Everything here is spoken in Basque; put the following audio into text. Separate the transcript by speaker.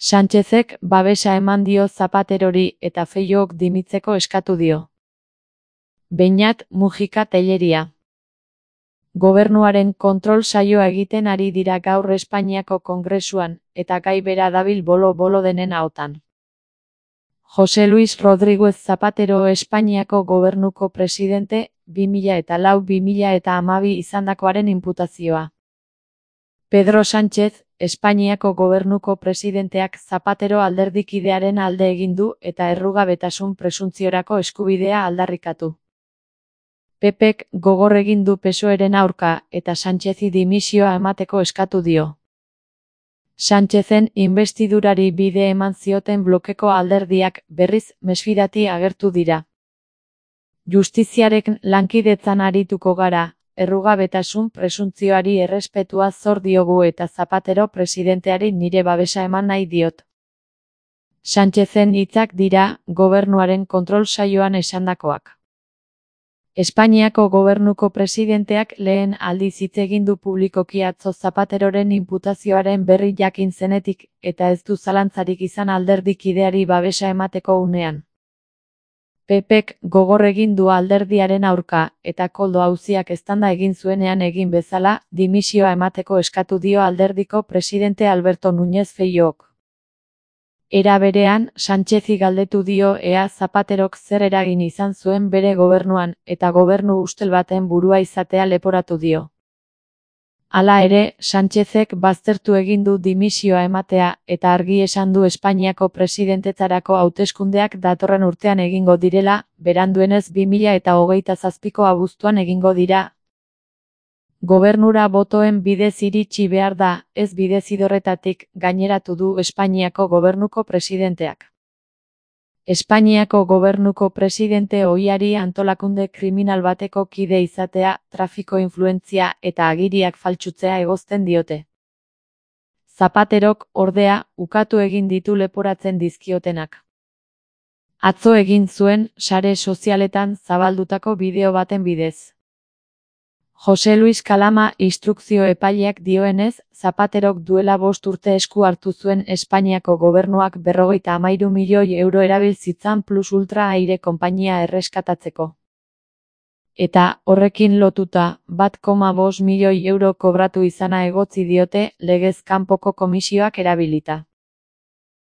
Speaker 1: Sánchezek babesa eman dio Zapaterori eta Feijóok dimitzeko eskatu dio. Beñat Mujika Tellería. Gobernuaren kontrol saioa egiten ari dira gaur Espainiako Kongresuan, eta gai bera dabil bolo-bolo denen ahotan. José Luis Rodríguez Zapatero Espainiako gobernuko presidente, 2004-2012 izandakoaren inputazioa. Pedro Sánchez, Espainiako gobernuko presidenteak Zapatero alderdikidearen alde egin du eta errugabetasun presuntziorako eskubidea aldarrikatu. PPek gogor egin du PSOEren aurka eta Sánchezi dimisioa emateko eskatu dio. Sánchezen inbestidurari bide eman zioten blokeko alderdiak berriz mesfidati agertu dira. Justiziarek lankidetzan arituko gara, errugabetasun presuntzioari errespetua zor diogu eta Zapatero presidenteari nire babesa eman nahi diot. Sánchezen hitzak dira, gobernuaren kontrol saioan esandakoak. Espainiako gobernuko presidenteak lehen aldiz hitz egin du publikoki atzo Zapateroren inputazioaren berri jakin zenetik, eta ez du zalantzarik izan alderdikideari babesa emateko unean. PPek gogor egin du alderdiaren aurka, eta koldo auziak eztanda egin zuenean egin bezala, dimisioa emateko eskatu dio alderdiko presidente Alberto Núñez Feijóok. Era berean, Sánchezi galdetu dio ea Zapaterok zer eragin izan zuen bere gobernuan, eta gobernu ustel baten burua izatea leporatu dio. Hala ere, Sánchezek baztertu egin du dimisioa ematea, eta argi esan du Espainiako presidentetzarako hauteskundeak datorren urtean egingo direla, beranduenez 2027ko abuztuan egingo dira. Gobernura botoen bidez iritsi behar da, ez bidezidorretatik, gaineratu du Espainiako gobernuko presidenteak. Espainiako gobernuko presidente ohiari antolakunde kriminal bateko kide izatea, trafiko influentzia eta agiriak faltsutzea egozten diote. Zapaterok, ordea, ukatu egin ditu leporatzen dizkiotenak. Atzo egin zuen, sare sozialetan zabaldutako bideo baten bidez. José Luis Kalama instrukzio epaileak dioenez, Zapaterok duela 5 urte esku hartu zuen Espainiako gobernuak 53 milioi euro erabil zitzan Plus Ultra aire konpainia erreskatatzeko. Eta, horrekin lotuta, 1,5 milioi euro kobratu izana egotzi diote, legez kanpoko komisioak erabilita.